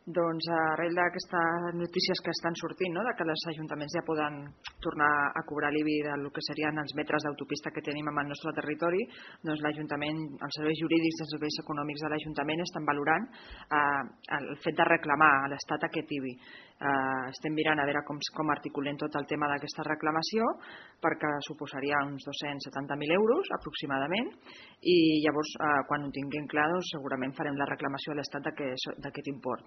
Doncs arrel d'aquestes notícies que estan sortint, no? De que els ajuntaments ja poden tornar a cobrar l'IBI del que serien els metres d'autopista que tenim en el nostre territori, doncs l'Ajuntament, els serveis jurídics i els serveis econòmics de l'Ajuntament estan valorant el fet de reclamar a l'Estat aquest IBI. Estem mirant a veure com articulem tot el tema d'aquesta reclamació, perquè suposaria uns 270.000 euros aproximadament, i llavors quan ho tinguem clar doncs, segurament farem la reclamació a l'Estat d'aquest import.